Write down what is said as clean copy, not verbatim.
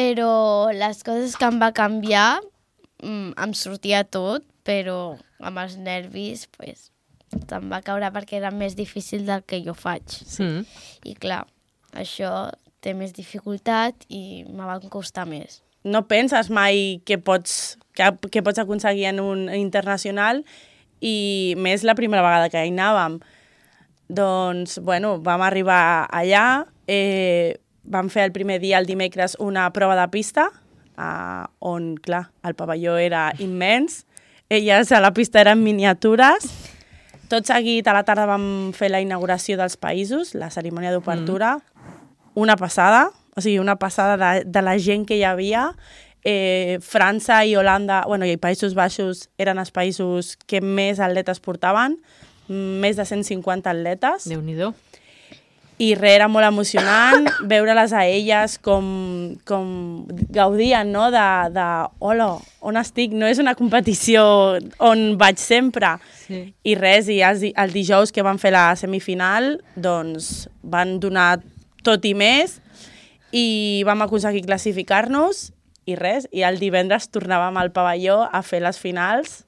però les coses que em va canviar, em sortia tot, però amb els nervis, pues, em va caure perquè era més difícil del que jo faig. Sí. I clar, això té més dificultat i me va costar més. No penses mai que pots aconseguir en un internacional i més la primera vegada que hi anàvem. Doncs, bueno, vam arribar allà, vam fer el primer dia, el dimecres, una prova de pista, on, clar, el pavelló era immens, elles a la pista eren miniatures. Tot seguit, a la tarda vam fer la inauguració dels països, la cerimònia d'obertura, una passada, o sigui, una passada de la gent que hi havia. França i Holanda, bueno, i Països Baixos eren els països que més atletes portaven, més de 150 atletes. Déu-n'hi-do. I res, era molt emocionant veure-les a elles com gaudien, no? Hola, on estic? No és una competició on vaig sempre. Sí. I res, i el dijous que van fer la semifinal, doncs van donar tot i més i vam aconseguir classificar-nos i res, i el divendres tornàvem al pavelló a fer les finals